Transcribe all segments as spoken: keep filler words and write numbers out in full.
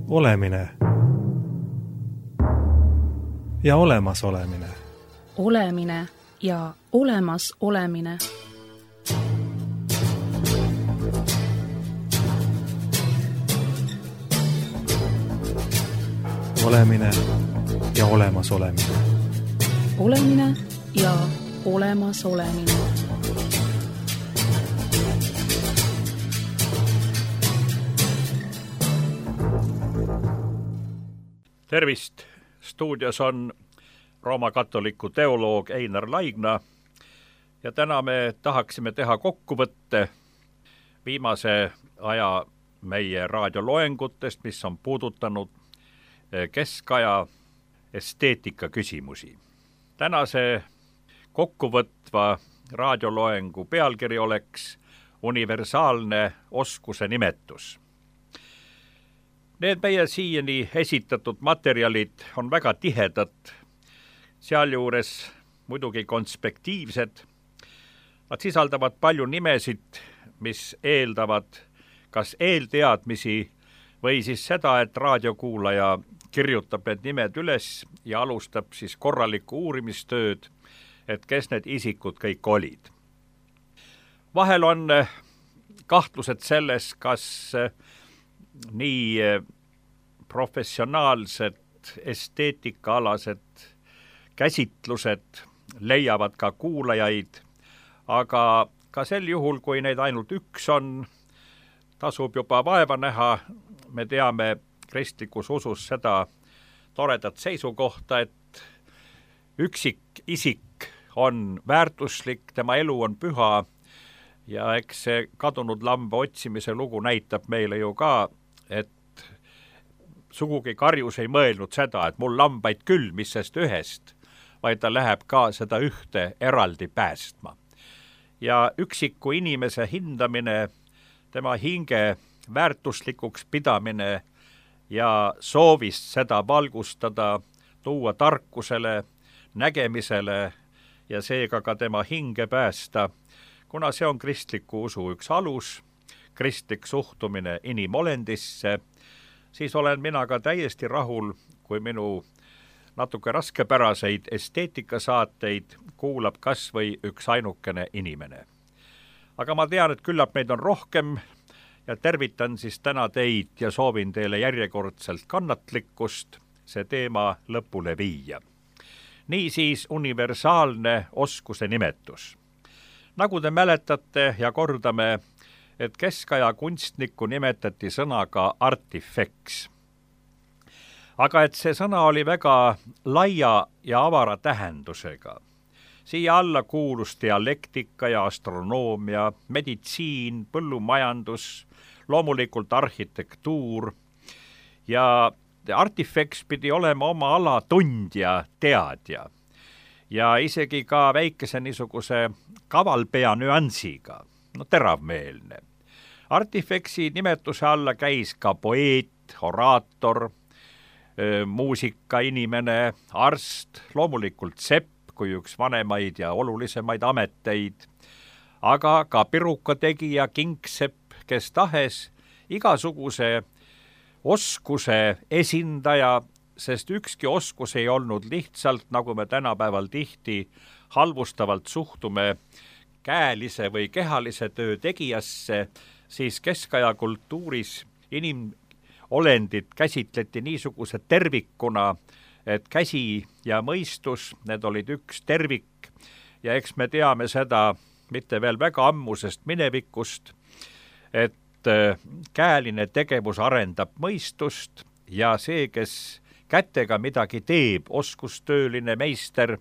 Olemine ja olemasolemine. Olemine ja olemas olemine. Olemine ja olemas olemine. Olemine ja olemas olemine. Tervist! Stuudios on Rooma katoliku teoloog Einar Laigna ja täna me tahaksime teha kokkuvõtte viimase aja meie raadioloengutest, mis on puudutanud keskaja esteetika küsimusi. Tänase kokkuvõtva raadioloengu pealkiri oleks universaalne oskuse nimetus. Need meie siiani esitatud materjalid on väga tihedad, sealjuures muidugi konspektiivsed. Nad sisaldavad palju nimesid, mis eeldavad kas eelteadmisi või siis seda, et raadiokuulaja kirjutab need nimed üles ja alustab siis korralikku uurimistööd, et kes need isikud kõik olid. Vahel on kahtlused selles, kas nii professionaalsed esteetikaalased käsitlused leiavad ka kuulajaid, aga ka sel juhul, kui neid ainult üks on, tasub juba vaeva näha. Me teame kristlikus usus seda toredat seisukohta, et üksik isik on väärtuslik, tema elu on püha ja eks see kadunud lamba otsimise lugu näitab meile ju ka, et sugugi karjus ei mõelnud seda, et mul lambaid küll, mis sest ühest, vaid ta läheb ka seda ühte eraldi päästma. Ja üksiku inimese hindamine, tema hinge väärtuslikuks pidamine ja soovist seda valgustada, tuua tarkusele, nägemisele ja seega ka tema hinge päästa, kuna see on kristliku usu üks alus, kristlik suhtumine inimolendisse, siis olen mina ka täiesti rahul, kui minu natuke raskepäraseid esteetikasaateid kuulab kas või üks ainukene inimene. Aga ma tean, et küllap meid on rohkem ja tervitan siis täna teid ja soovin teile järjekordselt kannatlikkust see teema lõpule viia. Niisiis universaalne oskuse nimetus. Nagu te mäletate ja kordame, et keskaja kunstnikku nimetati sõnaga artifeks. Aga et see sõna oli väga laia ja avara tähendusega. Siia alla kuulus dialektika ja astronoomia, meditsiin, põllumajandus, loomulikult arhitektuur ja artifeks pidi olema oma ala tundja, teadja ja isegi ka väikese niisuguse kavalpea nüansiga. No teravmeelne. Artifeksi nimetuse alla käis ka poeet, oraator, muusikainimene, arst, loomulikult sepp kui üks vanemaid ja olulisemaid ameteid, aga ka pirukategija, kingsepp, kes tahes igasuguse oskuse esindaja, sest ükski oskus ei olnud lihtsalt, nagu me tänapäeval tihti halvustavalt suhtume käelise või kehalise töö tegijasse, siis keskaja kultuuris inimolendid käsitleti niisuguse tervikuna, et käsi ja mõistus, need olid üks tervik ja eks me teame seda mitte veel väga ammusest minevikust, et käeline tegevus arendab mõistust ja see, kes kätega midagi teeb, oskustööline meister,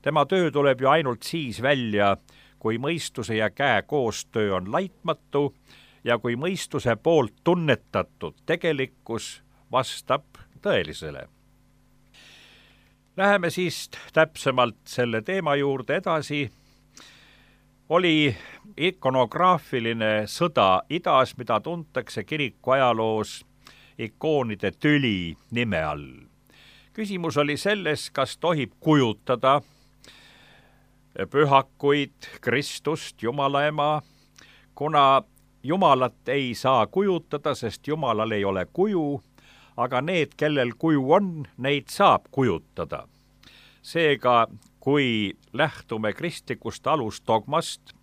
tema töö tuleb ju ainult siis välja, kui mõistuse ja käe koostöö on laitmatu ja kui mõistuse poolt tunnetatud tegelikkus vastab tõelisele. Läheme siis täpsemalt selle teema juurde edasi. Oli ikonograafiline sõda idas, mida tuntakse kiriku ajaloos ikoonide tüli nime all. Küsimus oli selles, kas tohib kujutada pühakuid, Kristust, Jumala ema, kuna Jumalat ei saa kujutada, sest Jumalal ei ole kuju, aga need, kellel kuju on, neid saab kujutada. Seega, kui lähtume kristlikust alusdogmast,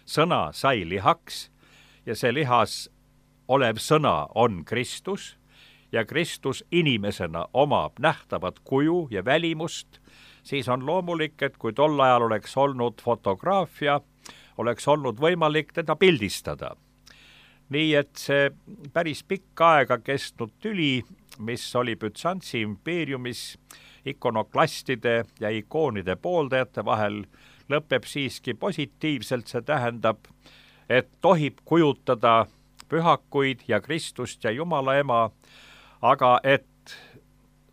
sõna sai lihaks ja see lihas olev sõna on Kristus ja Kristus inimesena omab nähtavat kuju ja välimust, siis on loomulik, et kui tol ajal oleks olnud fotograafia, oleks olnud võimalik teda pildistada. Nii et see päris pikka aega kestnud tüli, mis oli Bütsantsi impeeriumis ikonoklastide ja ikoonide pooldajate vahel, lõpeb siiski positiivselt, see tähendab, et tohib kujutada pühakuid ja Kristust ja Jumala ema, aga et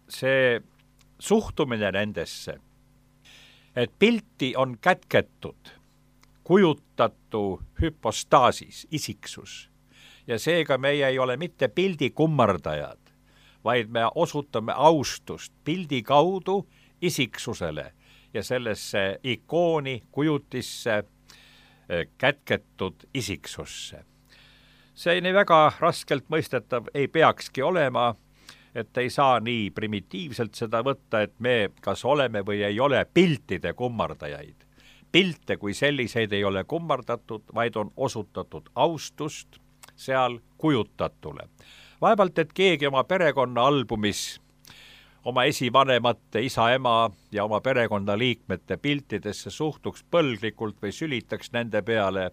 see suhtumine nendesse, et pilti on kätketud, kujutatu hüpostaasis, isiksus, ja seega meie ei ole mitte pildi kummardajad, vaid me osutame austust pildi kaudu isiksusele ja sellesse ikooni kujutisse kätketud isiksusse. See nii väga raskelt mõistetav ei peakski olema, et ei saa nii primitiivselt seda võtta, et me kas oleme või ei ole piltide kummardajaid. Pilte kui selliseid ei ole kummardatud, vaid on osutatud austust seal kujutatule. Vaevalt, et keegi oma perekonna albumis oma esivanemate, isa, ema ja oma perekonna liikmete piltidesse suhtuks põlglikult või sülitaks nende peale.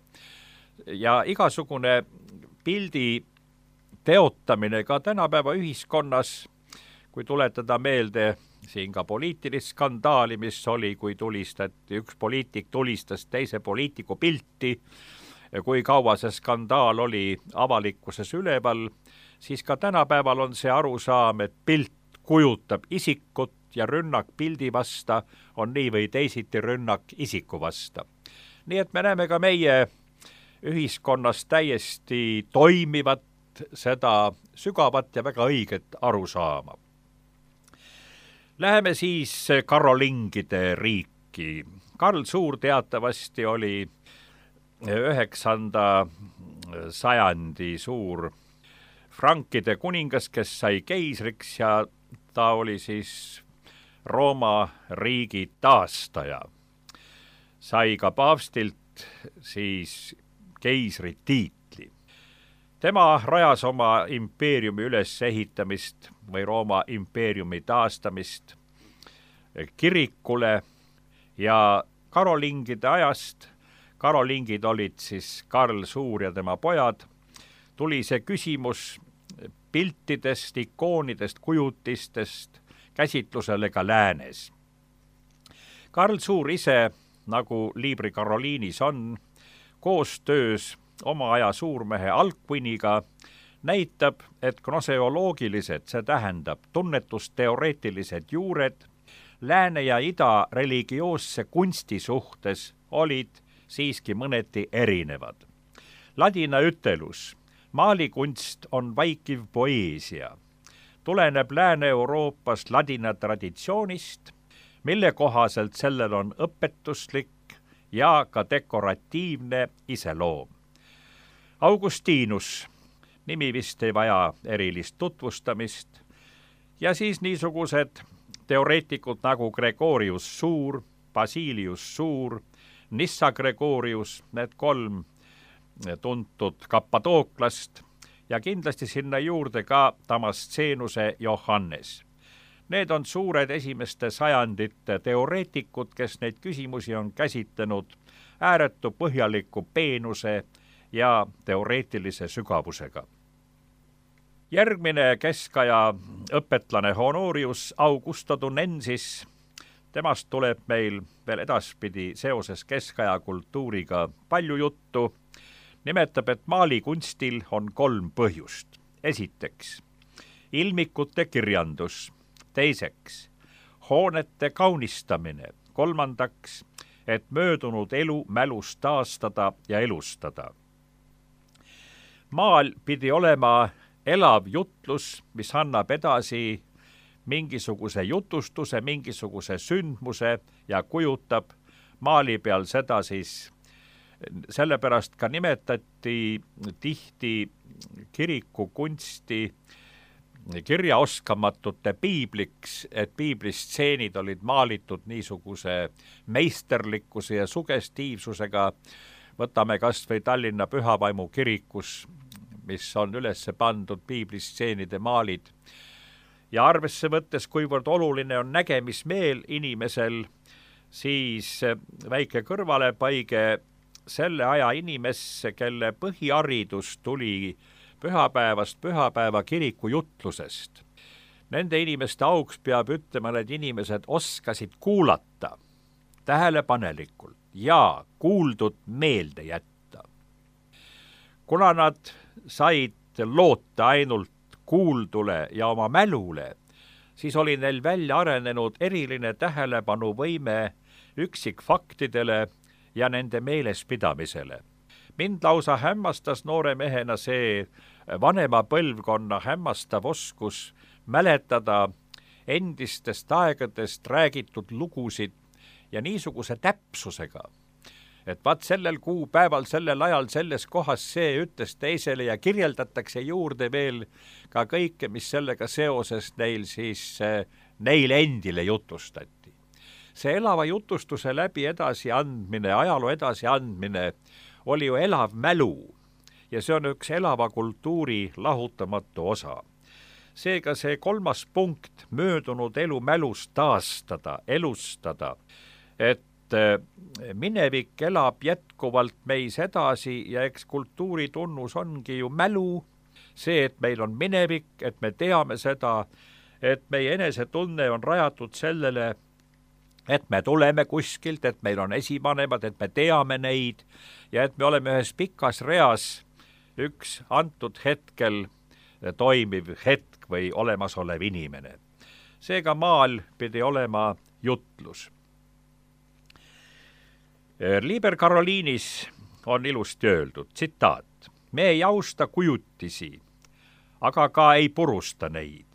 Ja igasugune pildi teotamine ka tänapäeva ühiskonnas, kui tuletada meelde siin ka poliitilist skandaali, mis oli, kui tulistati, üks poliitik tulistas teise poliitiku pilti, ja kui kaua see skandaal oli avalikkuses üleval, siis ka tänapäeval on see arusaam, et pilt kujutab isikut ja rünnak pildi vasta on nii või teisiti rünnak isiku vasta. Nii et me näeme ka meie ühiskonnas täiesti toimivat seda sügavat ja väga õiget arusaama. Läheme siis karolingide riiki. Karl Suur teatavasti oli üheksanda sajandi suur frankide kuningas, kes sai keisriks ja ta oli siis Rooma riigi taastaja. Sai ka paavstilt siis keisri tiitli. Tema rajas oma impeeriumi ülesehitamist või Rooma impeeriumi taastamist kirikule ja karolingide ajast, karolingid olid siis Karl Suur ja tema pojad, tuli see küsimus piltidest, ikoonidest, kujutistest käsitlusele ka läänes. Karl Suur ise, nagu Libri Karoliinis on, koostöös oma aja suurmehe Alcuiniga näitab, et gnoseoloogilised, see tähendab tunnetusteoreetilised juured, lääne ja ida religioosse kunsti suhtes olid siiski mõneti erinevad. Ladina ütelus, maalikunst on vaikiv poeesia, tuleneb Lääne-Euroopas ladina traditsioonist, mille kohaselt sellel on õpetuslik ja ka dekoratiivne iseloom. Augustinus, nimi vist ei vaja erilist tutvustamist, ja siis niisugused teoreetikud nagu Gregorius Suur, Basilius Suur, Nissa Gregorius, need kolm tuntud Kappadooklast ja kindlasti sinna juurde ka Damascenuse Johannes. Need on suured esimeste sajandite teoreetikud, kes neid küsimusi on käsitlenud ääretu põhjaliku peenuse ja teoreetilise sügavusega. Järgmine keskaja õpetlane Honorius Augusto Dunensis, temast tuleb meil veel edaspidi seoses keskaja kultuuriga palju juttu, nimetab, et maalikunstil on kolm põhjust. Esiteks, ilmikute kirjandus. Teiseks, hoonete kaunistamine. Kolmandaks, et möödunud elu mälus taastada ja elustada. Maal pidi olema elav jutlus, mis annab edasi mingisuguse jutustuse, mingisuguse sündmuse ja kujutab maali peal seda siis. Sellepärast ka nimetati tihti kirikukunsti kirjaoskamatute piibliks, et piiblistseenid olid maalitud niisuguse meisterlikkuse ja sugestiivsusega. Võtame kas või Tallinna Pühavaimu kirikus, mis on üles pandud piiblistseenide maalid. Ja arvesse võttes, kuivõrd oluline on nägemismeel inimesel, siis väike kõrvalepaige selle aja inimesse, kelle põhiharidus tuli pühapäevast pühapäeva kiriku jutlusest. Nende inimeste auks peab ütlema, et inimesed oskasid kuulata tähelepanelikult ja kuuldud meelde jätta. Kuna nad said loota ainult kuuldule ja oma mälule, siis oli neil välja arenenud eriline tähelepanuvõime üksikfaktidele ja nende meelespidamisele. Mind lausa hämmastas noore mehena see vanema põlvkonna hämmastav oskus mäletada endistest aegadest räägitud lugusid ja niisuguse täpsusega, et vaat sellel kuupäeval, sellel ajal, selles kohas see ütles teisele ja kirjeldatakse juurde veel ka kõike, mis sellega seoses neil siis neil endile jutustati. See elava jutustuse läbi edasiandmine, ajaloo edasiandmine oli ju elav mälu ja see on üks elava kultuuri lahutamatu osa. Seega see kolmas punkt, möödunud elu mälust taastada, elustada, et minevik elab jätkuvalt meis edasi ja eks kultuuri tunnus ongi ju mälu, see, et meil on minevik, et me teame seda, et meie enesetunne on rajatud sellele, et me tuleme kuskilt, et meil on esivanemad, et me teame neid ja et me oleme ühes pikas reas üks antud hetkel toimiv hetk või olemasolev inimene. Seega maal pidi olema jutlus. Liber Karoliinis on ilusti öeldud, tsitaat, me ei austa kujutisi, aga ka ei purusta neid.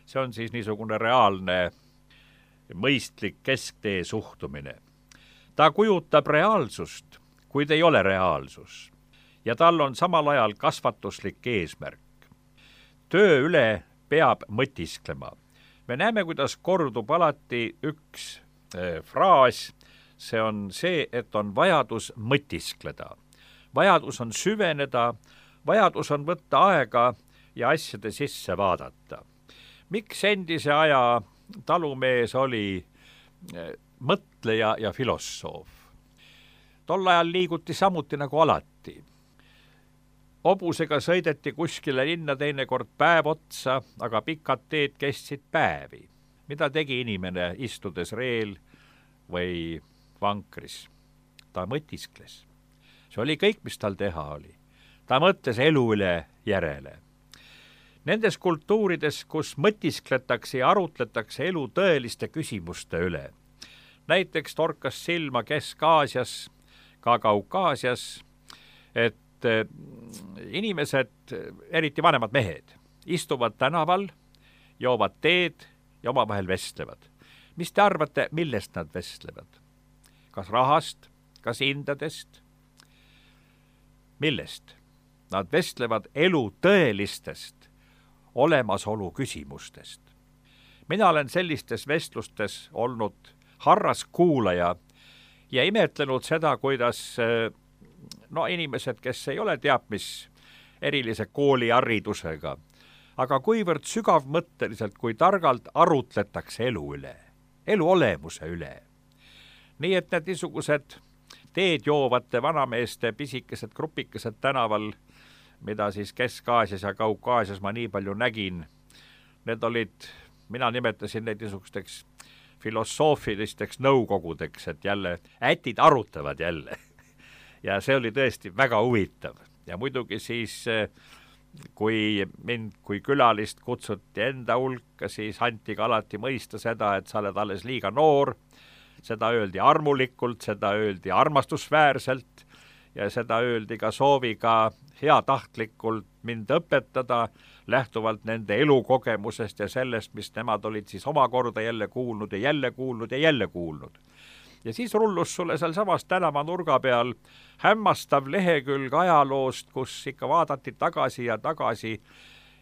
See on siis niisugune reaalne mõistlik kesktee suhtumine. Ta kujutab reaalsust, kuid ei ole reaalsus. Ja tal on samal ajal kasvatuslik eesmärk. Töö üle peab mõtisklema. Me näeme, kuidas kordub alati üks äh, fraas, see on see, et on vajadus mõtiskleda. Vajadus on süveneda, vajadus on võtta aega ja asjade sisse vaadata. Miks endise aja talumees oli mõtleja ja filosoof? Tol ajal liiguti samuti nagu alati. Hobusega sõideti kuskile linna teinekord päev otsa, aga pikad teed kestsid päevi. Mida tegi inimene istudes reel või vankris? Ta mõtiskles. See oli kõik, mis tal teha oli. Ta mõtles elu üle järele. Nendes kultuurides, kus mõtiskletakse ja arutletakse elu tõeliste küsimuste üle. Näiteks torkas silma Kesk-Aasias, ka Kaukaasias, et inimesed, eriti vanemad mehed, istuvad tänaval, joovad teed ja omavahel vestlevad. Mis te arvate, millest nad vestlevad? Kas rahast, kas hindadest? Millest? Nad vestlevad elu tõelistest olemasolu küsimustest. Mina olen sellistes vestlustes olnud harras kuulaja ja imetlenud seda, kuidas no inimesed, kes ei ole teab mis erilise kooliharidusega, aga kuivõrd sügavmõtteliselt, kui targalt arutletakse elu üle, elu olemuse üle. Nii et need niisugused teed joovate vanameeste pisikesed grupikesed tänaval, mida siis Kesk-Aasias ja Kaukaasias ma nii palju nägin, need olid, mina nimetasin neid niisugusteks filosoofilisteks nõukogudeks, et jälle ätid arutavad jälle. Ja see oli tõesti väga huvitav. Ja muidugi siis, kui mind kui külalist kutsuti enda hulka, siis anti ka alati mõista seda, et sa oled alles liiga noor, seda öeldi armulikult, seda öeldi armastusväärselt ja seda öeldi ka sooviga heatahtlikult mind õpetada, lähtuvalt nende elukogemusest ja sellest, mis nemad olid siis omakorda jälle kuulnud ja jälle kuulnud ja jälle kuulnud. Ja siis rullus sulle seal samas tänava nurga peal hämmastav lehekülg ajaloost, kus ikka vaadati tagasi ja tagasi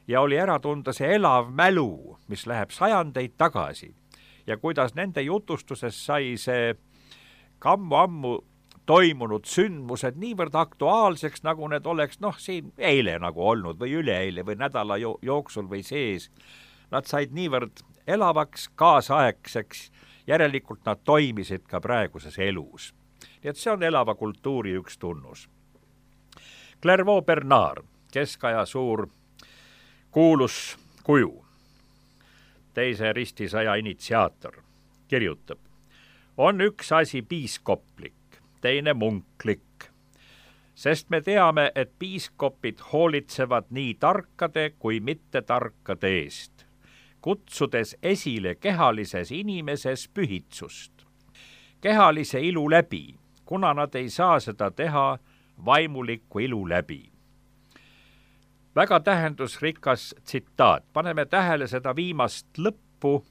ja oli ära tunda see elav mälu, mis läheb sajandeid tagasi ja kuidas nende jutustuses sai see ammu-ammu toimunud sündmused niivõrd aktuaalseks, nagu need oleks noh, siin eile nagu olnud või üleeile või nädala jo- jooksul või sees. Nad said niivõrd elavaks, kaasaegseks, järelikult nad toimisid ka praeguses elus. Nii et see on elava kultuuri üks tunnus. Clairvaux Bernard, keskaja suur kuulus kuju, teise ristisõja initsiaator, kirjutab: on üks asi piiskoplik, teine munklik, sest me teame, et piiskopid hoolitsevad nii tarkade kui mitte tarkade eest, kutsudes esile kehalises inimeses pühitsust. Kehalise ilu läbi, kuna nad ei saa seda teha vaimuliku ilu läbi. Väga tähendusrikas tsitaat, paneme tähele seda viimast lõppu,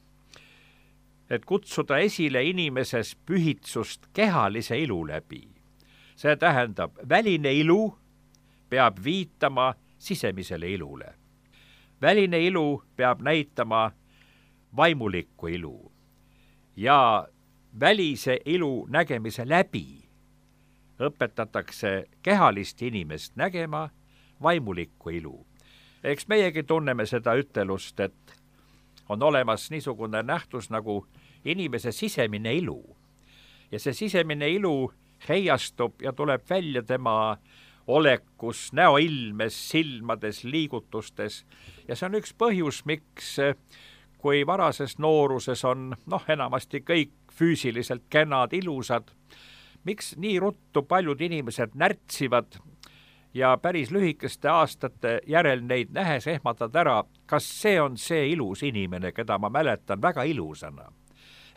et kutsuda esile inimeses pühitsust kehalise ilu läbi. See tähendab, väline ilu peab viitama sisemisele ilule. Väline ilu peab näitama vaimulikku ilu ja välise ilu nägemise läbi õpetatakse kehalist inimest nägema vaimulikku ilu. Eks meiegi tunneme seda ütelust, et on olemas niisugune nähtus nagu inimese sisemine ilu. Ja see sisemine ilu heiastub ja tuleb välja tema olekus, näoilmes, silmades, liigutustes. Ja see on üks põhjus, miks kui varases nooruses on noh, enamasti kõik füüsiliselt kenad, ilusad, miks nii ruttu paljud inimesed närtsivad ja päris lühikeste aastate järel neid nähes ehmatad ära, kas see on see ilus inimene, keda ma mäletan väga ilusana.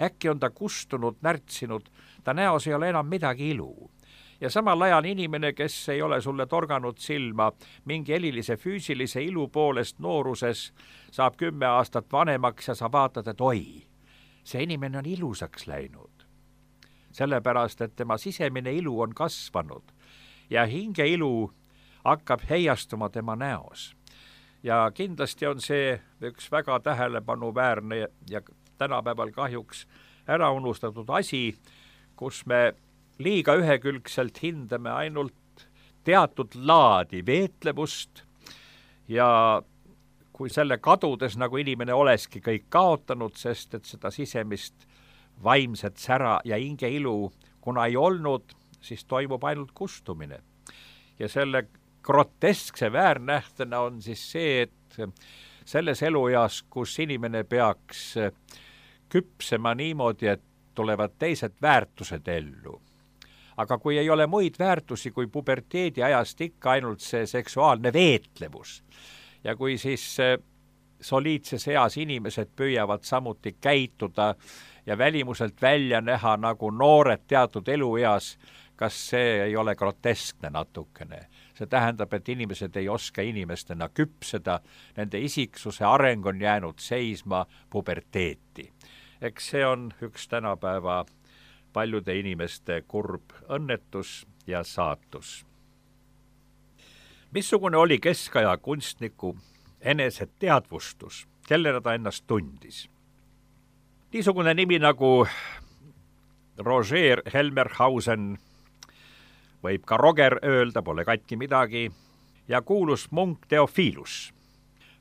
Äkki on ta kustunud, närtsinud, ta näos ei ole enam midagi ilu. Ja samal ajal inimene, kes ei ole sulle torganud silma mingi elilise füüsilise ilu poolest nooruses, saab kümme aastat vanemaks ja sa vaatad, et oi, see inimene on ilusaks läinud. Sellepärast, et tema sisemine ilu on kasvanud ja hinge ilu hakkab heiastuma tema näos. Ja kindlasti on see üks väga tähelepanuväärne ja tänapäeval kahjuks ära unustatud asi, kus me liiga ühekülgselt hindame ainult teatud laadi veetlevust ja kui selle kadudes, nagu inimene oleski kõik kaotanud, sest et seda sisemist vaimset sära ja hinge ilu, kuna ei olnud, siis toimub ainult kustumine. Ja selle groteskse väärnähtena on siis see, et selles elueas, kus inimene peaks küpsema niimoodi, et tulevad teised väärtused ellu. Aga kui ei ole muid väärtusi kui puberteedi ajast ikka ainult see seksuaalne veetlevus ja kui siis soliidses eas inimesed püüavad samuti käituda ja välimuselt välja näha nagu noored teatud elueas, kas see ei ole groteskne natukene. See tähendab, et inimesed ei oska inimestena küpseda, nende isiksuse areng on jäänud seisma puberteeti. Eks see on üks tänapäeva paljude inimeste kurb õnnetus ja saatus. Missugune oli keskaja kunstniku eneseteadvustus, kellena ta ennast tundis? Niisugune nimi nagu Roger Helmerhausen, võib ka Roger öelda, pole katki midagi, ja kuulus munk Theophilus.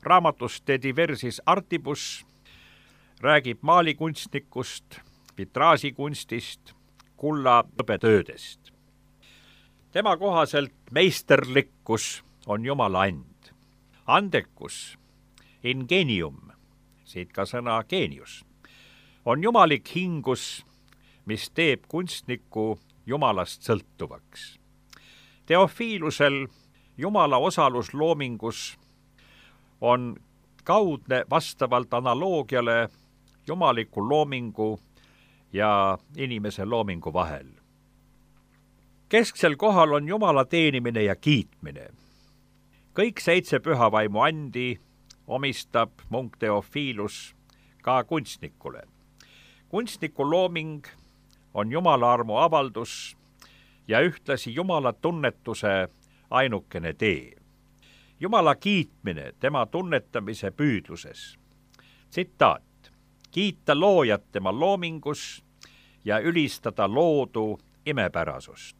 Raamatust De Diversis Artibus räägib maalikunstnikust, vitraasikunstist, kulla õbetöödest. Tema kohaselt meisterlikkus on Jumala and. Andekus, ingenium, siit ka sõna geenius, on jumalik hingus, mis teeb kunstniku Jumalast sõltuvaks. Theophilusel Jumala osalus loomingus on kaudne vastavalt analoogiale jumaliku loomingu ja inimese loomingu vahel. Kesksel kohal on Jumala teenimine ja kiitmine. Kõik seitse pühavaimu andi omistab munk Theophilus ka kunstnikule. Kunstniku looming on Jumala armu avaldus ja ühtlasi Jumala tunnetuse ainukene tee. Jumala kiitmine tema tunnetamise püüdluses. Tsitaat. Kiita loojat tema loomingus ja ülistada loodu imepärasust.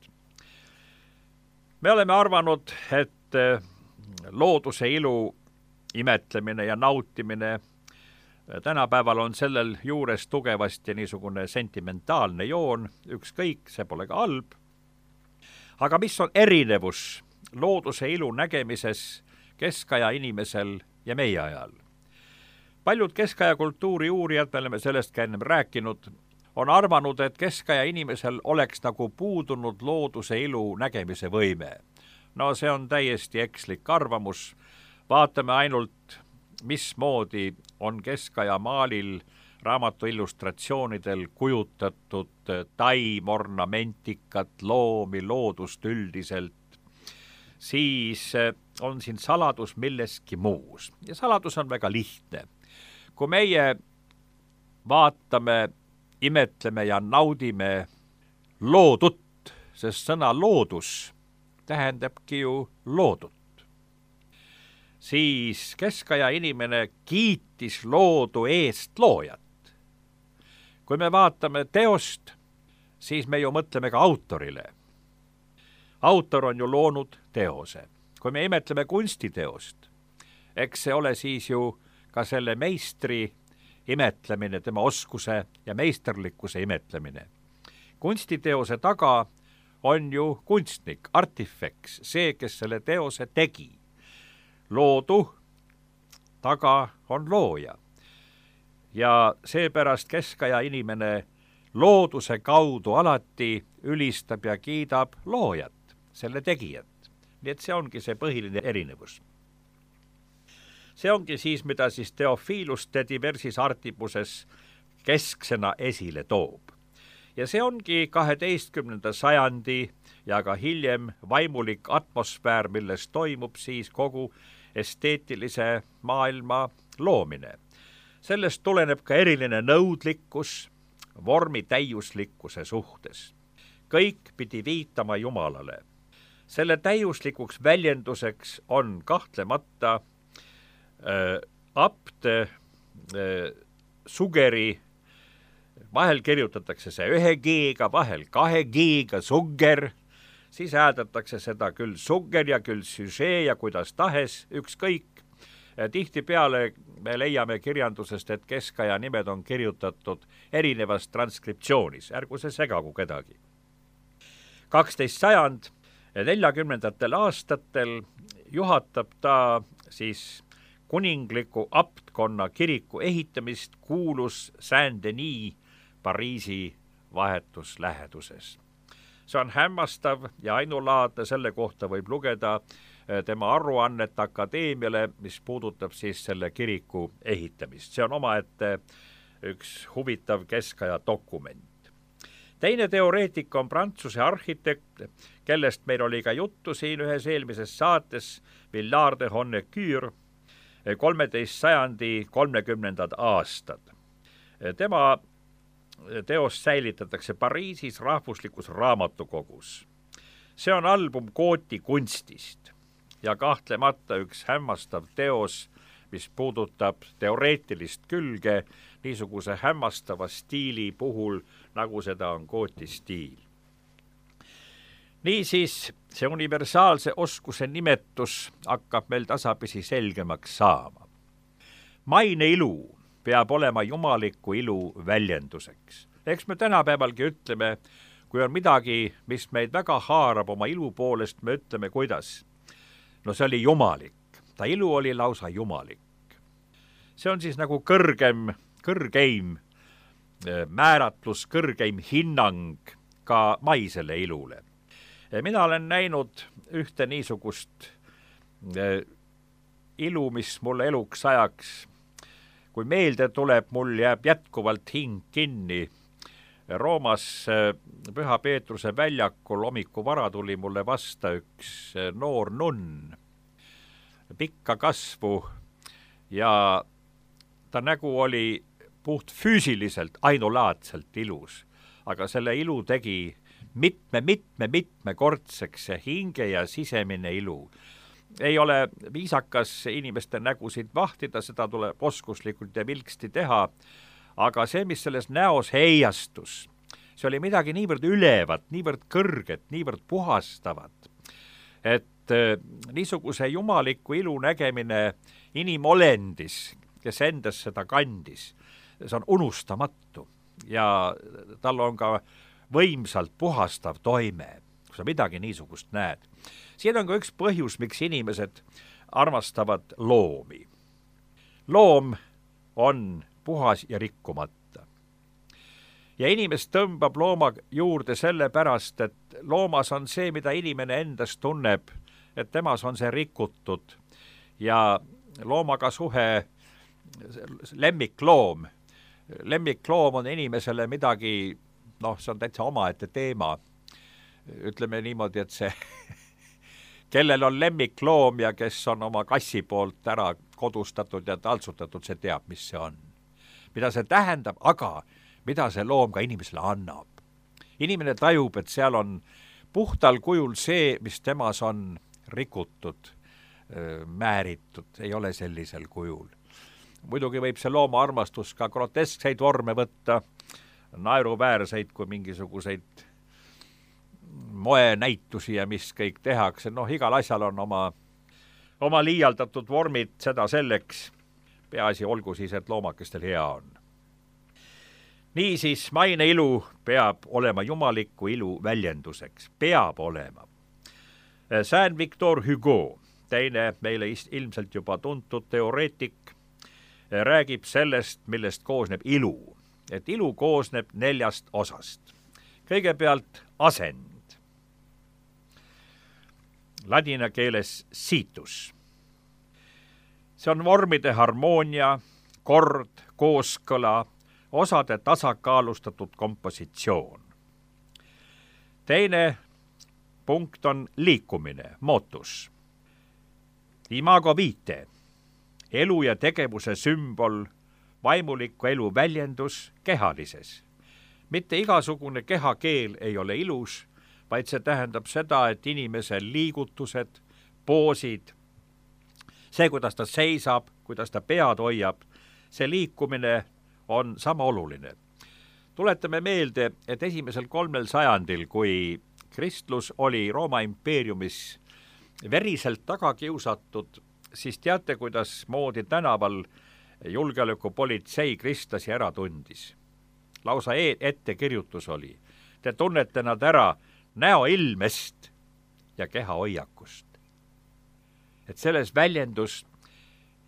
Me oleme arvanud, et looduse ilu imetlemine ja nautimine tänapäeval on sellel juures tugevasti niisugune sentimentaalne joon, ükskõik, see pole ka halb. Aga mis on erinevus looduse ilu nägemises keskaja inimesel ja meie ajal? Paljud keskaja kultuuri uurijad, me oleme sellest ka ennem rääkinud, on arvanud, et keskaja inimesel oleks nagu puudunud looduse ilu nägemise võime. No see on täiesti ekslik arvamus. Vaatame ainult, mismoodi on keskaja maalil raamatu illustratsioonidel kujutatud taim, ornamentikat, loomi, loodust üldiselt. Siis on siin saladus milleski muus. Ja saladus on väga lihtne. Kui meie vaatame, imetleme ja naudime loodut, sest sõna loodus tähendabki ju loodut, siis keskaja inimene kiitis loodu eest loojat. Kui me vaatame teost, siis me ju mõtleme ka autorile. Autor on ju loonud teose. Kui me imetleme kunstiteost, eks see ole siis ju ka selle meistri imetlemine, tema oskuse ja meisterlikkuse imetlemine. Kunstiteose taga on ju kunstnik, artifeks, see, kes selle teose tegi. Loodu taga on looja. Ja seepärast keskaja inimene looduse kaudu alati ülistab ja kiidab loojat, selle tegijat. Nii et see ongi see põhiline erinevus. See ongi siis, mida siis Theophilus de diversis artibuses kesksena esile toob. Ja see ongi kaheteistkümnenda sajandi ja ka hiljem vaimulik atmosfäär, milles toimub siis kogu esteetilise maailma loomine. Sellest tuleneb ka eriline nõudlikkus vormi täiuslikkuse suhtes. Kõik pidi viitama Jumalale. Selle täiuslikuks väljenduseks on kahtlemata äh, apt äh, sugeri, vahel kirjutatakse see ühe G-ga, vahel kahe G-ga sugger, siis hääldatakse seda küll sugger ja küll süžee ja kuidas tahes, ükskõik. Tihtipeale me leiame kirjandusest, et keskaja nimed on kirjutatud erinevas transkriptsioonis, ärgu see segagu kedagi. kaksteist sajand neljakümnendatel aastatel juhatab ta siis kuningliku aptkonna kiriku ehitamist kuulus Saint-Denis Pariisi vahetusläheduses. See on hämmastav ja ainulaadne, selle kohta võib lugeda tema aruannet akadeemiale, mis puudutab siis selle kiriku ehitamist. See on omaette üks huvitav keskaja dokument. Teine teoreetik on Prantsuse arhitekt, kellest meil oli ka juttu siin ühes eelmises saates, Villard de Honnecourt, kolmeteist sajandi kolmekümnendad aastad. Tema teost säilitatakse Pariisis rahvuslikus raamatukogus. See on album Kooti kunstist ja kahtlemata üks hämmastav teos, mis puudutab teoreetilist külge niisuguse hämmastava stiili puhul, nagu seda on Kooti stiil. Niisiis, see universaalse oskuse nimetus hakkab meil tasapisi selgemaks saama. Maine ilu peab olema jumaliku ilu väljenduseks. Eks me tänapäevalgi ütleme, kui on midagi, mis meid väga haarab oma ilu poolest, me ütleme, kuidas. No see oli jumalik. Ta ilu oli lausa jumalik. See on siis nagu kõrgem, kõrgeim määratlus, kõrgeim hinnang ka maisele ilule. Mina olen näinud ühte niisugust ilu, mis mulle eluks ajaks, kui meelde tuleb, mul jääb jätkuvalt hing kinni. Roomas Püha Peetruse väljakul hommiku vara tuli mulle vasta üks noor nunn, pikka kasvu ja ta nägu oli puht füüsiliselt ainulaadselt ilus, aga selle ilu tegi mitme, mitme, mitmekordseks see hinge ja sisemine ilu. ei ole viisakas inimeste nägusid vahtida, seda tuleb oskuslikult ja vilksti teha, aga see, mis selles näos heiastus, see oli midagi niivõrd ülevat, niivõrd kõrget, niivõrd puhastavat, et niisuguse jumaliku ilu nägemine inimolendis, kes endas seda kandis, see on unustamatu ja tal on ka võimsalt puhastav toime, kui sa midagi niisugust näed. Siin on ka üks põhjus, miks inimesed armastavad loomi. Loom on puhas ja rikkumata. Ja inimest tõmbab looma juurde sellepärast, et loomas on see, mida inimene endas tunneb, et temas on see rikutud ja loomaga suhe, lemmikloom, lemmikloom on inimesele midagi, noh, see on täitsa omaette teema. Ütleme niimoodi, et see, kellel on lemmikloom ja kes on oma kassi poolt ära kodustatud ja taltsutatud, see teab, mis see on. Mida see tähendab, aga mida see loom ka inimesele annab. Inimene tajub, et seal on puhtal kujul see, mis temas on rikutud, määritud, ei ole sellisel kujul. Muidugi võib see looma armastus ka groteskseid vorme võtta, naeruväärseid kui mingisuguseid moenäitusi ja mis kõik tehakse. Noh, igal asjal on oma, oma liialdatud vormid, seda selleks. Peaasi olgu siis, et loomakestel hea on. Niisiis, maine ilu peab olema jumaliku ilu väljenduseks. Peab olema. Saint Victor Hugo, teine meile ilmselt juba tuntud teoreetik, räägib sellest, millest koosneb ilu. Et ilu koosneb neljast osast. Kõigepealt asend. Ladina keeles situs. See on vormide harmoonia, kord, kooskõla, osade tasakaalustatud kompositsioon. Teine punkt on liikumine, motus. Imago vitae, elu ja tegevuse sümbol, vaimuliku elu väljendus kehalises. Mitte igasugune kehakeel ei ole ilus, vaid see tähendab seda, et inimese liigutused, poosid, see, kuidas ta seisab, kuidas ta pead hoiab, see liikumine on sama oluline. Tuletame meelde, et esimesel kolmel sajandil, kui kristlus oli Rooma impeeriumis veriselt taga kiusatud, siis teate, kuidas moodi tänaval julgeolekupolitsei kristlasi ära tundis. Lausa ettekirjutus oli. Te tunnete nad ära näoilmest ja kehahoiakust. Et selles väljendus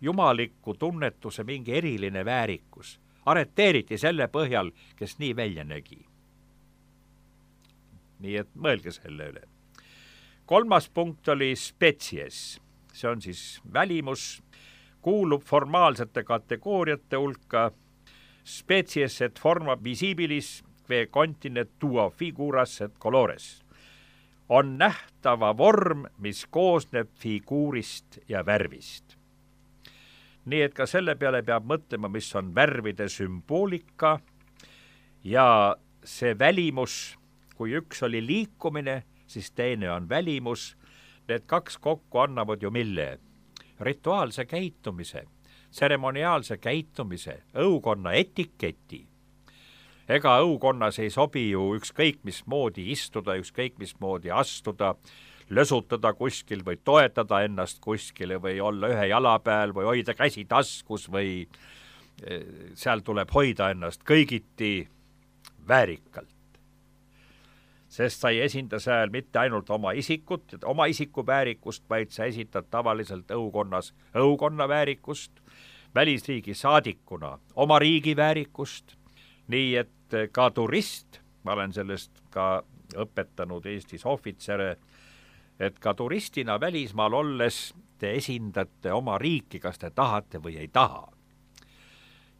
jumaliku tunnetuse mingi eriline väärikus. Areteeriti selle põhjal, kes nii välja nägi. Nii et mõelge selle üle. Kolmas punkt oli spetsies. See on siis välimus, kuulub formaalsete kategooriate hulka. Species et forma visibilis que continet tua figuras et colores. On nähtava vorm, mis koosneb figuurist ja värvist. Nii et ka selle peale peab mõtlema, mis on värvide sümboolika ja see välimus, kui üks oli liikumine, siis teine on välimus. Need kaks kokku annavad ju mille? Rituaalse käitumise, tseremoniaalse käitumise, õukonna etiketi. Ega õukonnas ei sobi ju ükskõik mismoodi istuda, ükskõik mismoodi astuda, lösutada kuskil või toetada ennast kuskile või olla ühe jala peal või hoida käsi taskus või seal tuleb hoida ennast kõigiti väärikalt. Sest sa ei esinda seal mitte ainult oma isikut, oma isiku väärikust, vaid sa esitad tavaliselt õukonnas õukonna väärikust, välisriigi saadikuna oma riigi väärikust, nii et ka turist, ma olen sellest ka õpetanud Eestis ohvitsere, et ka turistina välismaal olles te esindate oma riiki, kas te tahate või ei taha.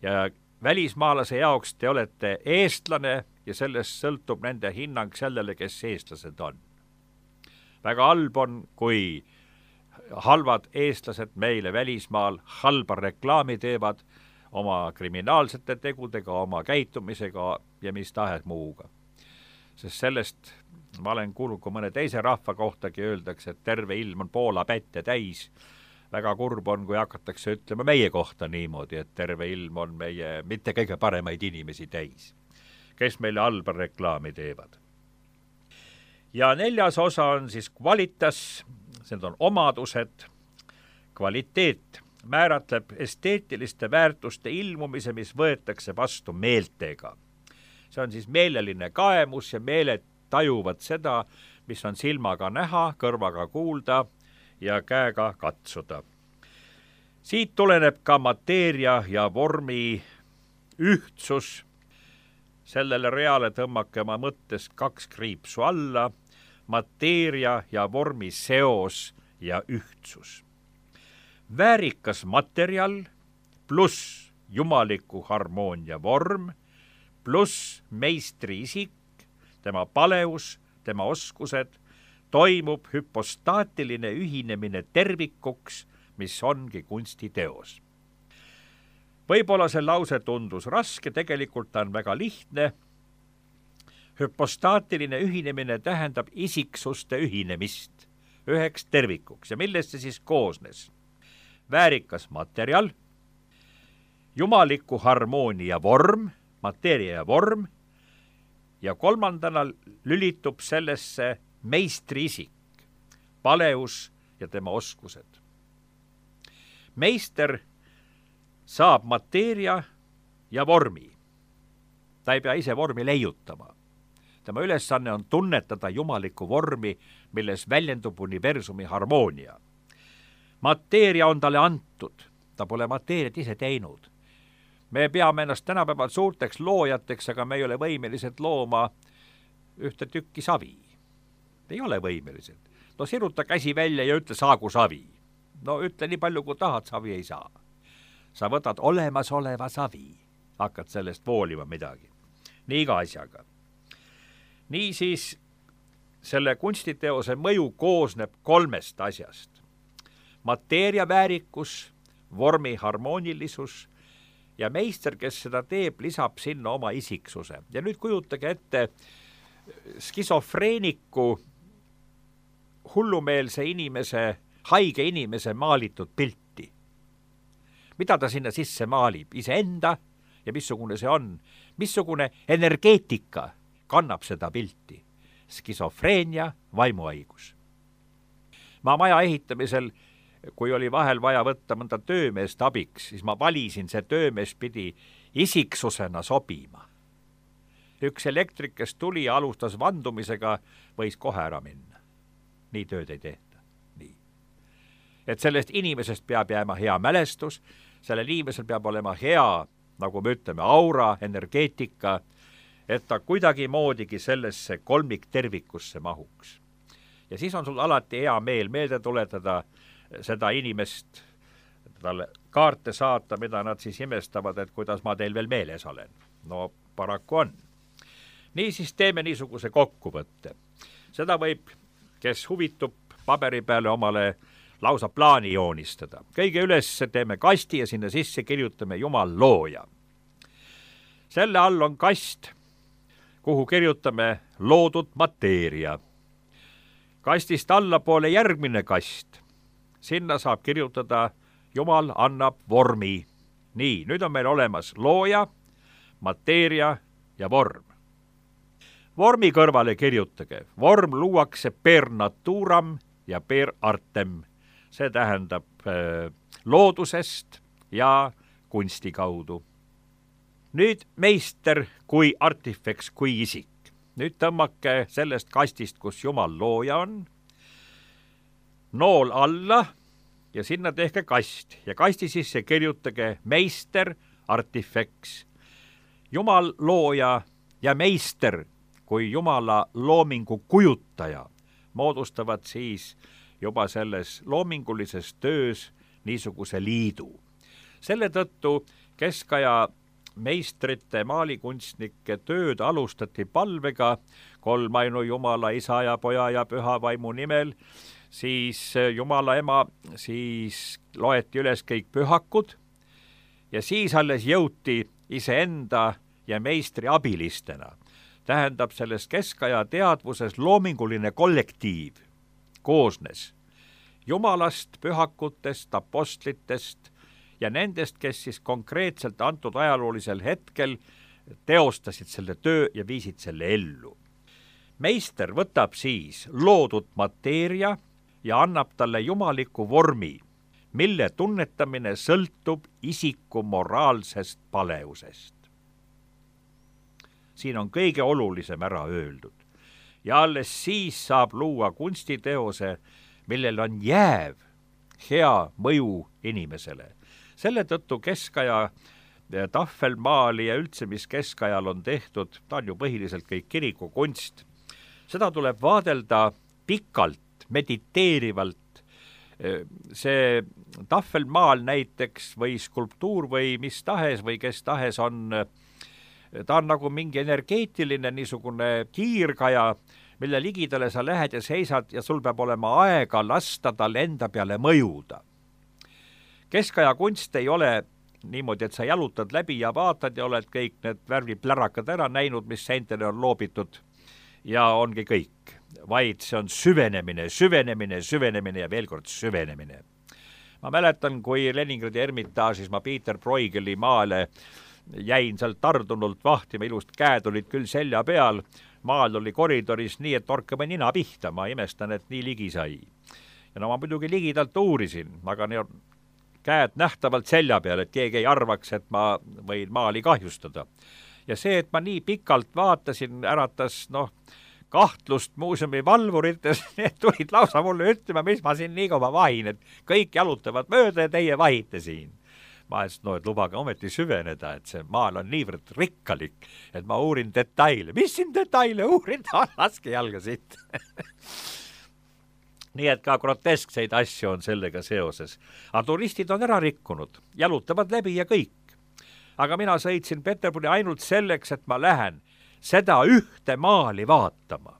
Ja välismaalase jaoks te olete eestlane ja sellest sõltub nende hinnang sellele, kes eestlased on. Väga halb on, kui halvad eestlased meile välismaal halba reklaami teevad oma kriminaalsete tegudega, oma käitumisega ja mis tahes muuga. sest sellest ma olen kuulnud, kui mõne teise rahva kohtagi öeldakse, et terve ilm on Poola pätte täis. Väga kurb on, kui hakatakse ütlema meie kohta niimoodi, et terve ilm on meie mitte kõige paremaid inimesi täis, kes meile halba reklaami teevad. Ja neljas osa on siis kvalitas, need on omadused. Kvaliteet määratleb esteetiliste väärtuste ilmumise, mis võetakse vastu meeltega. See on siis meeleline kaemus ja meeled tajuvad seda, mis on silmaga näha, kõrvaga kuulda ja käega katsuda. Siit tuleneb ka mateeria ja vormi ühtsus. Sellele reale tõmmake oma mõttest kaks kriipsu alla, mateeria ja vormi seos ja ühtsus. Väärikas materjal pluss jumaliku harmoonia vorm pluss meistri isik, tema paleus, tema oskused, toimub hüpostaatiline ühinemine tervikuks, mis ongi kunstiteos. Võib-olla see lause tundus raske, tegelikult ta on väga lihtne. Hüpostaatiline ühinemine tähendab isiksuste ühinemist üheks tervikuks. Ja millest see siis koosnes? Väärikas materjal, jumaliku harmoonia vorm, mateeria ja vorm, ja kolmandana lülitub sellesse meistri isik, paleus ja tema oskused. Meister saab mateeria ja vormi. Ta ei pea ise vormi leiutama. Tema ülesanne on tunnetada jumalikku vormi, milles väljendub universumi harmoonia. Mateeria on talle antud, ta pole mateeriat ise teinud. Me peame ennast tänapäeval suurteks loojateks, aga me ei ole võimelised looma ühte tükki savi. Ei ole võimelised. No siruta käsi välja ja ütle saagu savi. No ütle nii palju, kui tahad, savi ei saa. Sa võtad olemasoleva savi, hakkad sellest voolima midagi. Nii iga asjaga. Nii siis selle kunstiteose mõju koosneb kolmest asjast. Mateeria väärikus, vormi harmoonilisus ja meister, kes seda teeb, lisab sinna oma isiksuse. Ja nüüd kujutage ette skisofreeniku, hullumeelse inimese, haige inimese maalitud pilti. Mida ta sinna sisse maalib? Iseenda ja missugune see on? Missugune energeetika kannab seda pilti? Skisofreenia, vaimuhaigus. Ma maja ehitamisel, kui oli vahel vaja võtta mõnda töömeest abiks, siis ma valisin, see töömees pidi isiksusena sobima. Üks elektrik, kes tuli ja alustas vandumisega, võis kohe ära minna. Nii tööd ei tehta. Nii. Et sellest inimesest peab jääma hea mälestus, sellel inimesel peab olema hea, nagu me ütleme, aura, energeetika, et ta kuidagi moodigi sellesse kolmik tervikusse mahuks. Ja siis on sul alati hea meel meelde tuletada seda inimest, talle kaarte saata, mida nad siis imestavad, et kuidas ma teil veel meeles olen. No paraku on. Nii siis teeme niisuguse kokkuvõtte. Seda võib, kes huvitub, paberi peale omale lausa plaani joonistada. Kõige üles teeme kasti ja sinna sisse kirjutame Jumal looja. Selle all on kast, kuhu kirjutame loodud mateeria. Kastist allapoole järgmine kast. Sinna saab kirjutada Jumal annab vormi. Nii, nüüd on meil olemas looja, mateeria ja vorm. Vormi kõrvale kirjutage. Vorm luuakse per naturam ja per artem. See tähendab äh, loodusest ja kunsti kaudu. Nüüd meister kui artifeks, kui isik. Nüüd tõmmake sellest kastist, kus Jumal looja on, nool alla ja sinna tehke kast ja kasti sisse kirjutage meister, artifeks. Jumal looja ja meister kui Jumala loomingu kujutaja moodustavad siis juba selles loomingulises töös niisuguse liidu. Selle tõttu keskaja meistrite, maalikunstnike tööd alustati palvega kolmainu Jumala, Isa ja Poja ja Püha Vaimu nimel, siis Jumala ema, siis loeti üles kõik pühakud ja siis alles jõuti iseenda ja meistri abilistena tähendab selles keskaja teadvuses loominguline kollektiiv koosnes jumalast, pühakutest, apostlitest ja nendest, kes siis konkreetselt antud ajaloolisel hetkel teostasid selle töö ja viisid selle ellu. Meister võtab siis loodud mateeria ja annab talle jumaliku vormi, mille tunnetamine sõltub isiku moraalsest paleusest. Siin on kõige olulisem ära öeldud ja alles siis saab luua kunstiteose, millel on jääv hea mõju inimesele. Selle tõttu keskaja tahvelmaali ja üldse, mis keskajal on tehtud, ta on ju põhiliselt kõik kirikukunst. Seda tuleb vaadelda pikalt, mediteerivalt. See tahvelmaal näiteks või skulptuur või mis tahes või kes tahes on, ta on nagu mingi energeetiline niisugune kiirgaja, mille ligidale sa lähed ja seisad ja sul peab olema aega lasta tal enda peale mõjuda. Keskaja kunst ei ole niimoodi, et sa jalutad läbi ja vaatad ja oled kõik need värviplärakad ära näinud, mis seintele on loobitud ja ongi kõik, vaid see on süvenemine, süvenemine, süvenemine ja veel kord süvenemine. Ma mäletan, kui Leningradi Ermitaažis ma Peter Bruegeli maale jäin sealt tardunult vahtima, ilust käed olid küll selja peal, maal oli koridoris nii, et torkame nina pihta, ma imestan, et nii ligi sai. Ja no ma muidugi ligidalt uurisin, aga ne on käed nähtavalt selja peal, et keegi ei arvaks, et ma võin maali kahjustada. Ja see, et ma nii pikalt vaatasin, äratas noh, kahtlust muuseumi valvurites, need tulid lausa mulle ütlema, mis ma siin nii kaua vahin, et kõik jalutavad mööda ja teie vahite siin. Ma ütlesin, no, et lubage ometi süveneda, et see maal on niivõrd rikkalik, et ma uurin detaile. Mis siin detaile uurin? Laske jalga siit. Nii et ka groteskseid asju on sellega seoses. Aga turistid on ära rikkunud, jalutavad läbi ja kõik. Aga mina sõitsin Peterburi ainult selleks, et ma lähen seda ühte maali vaatama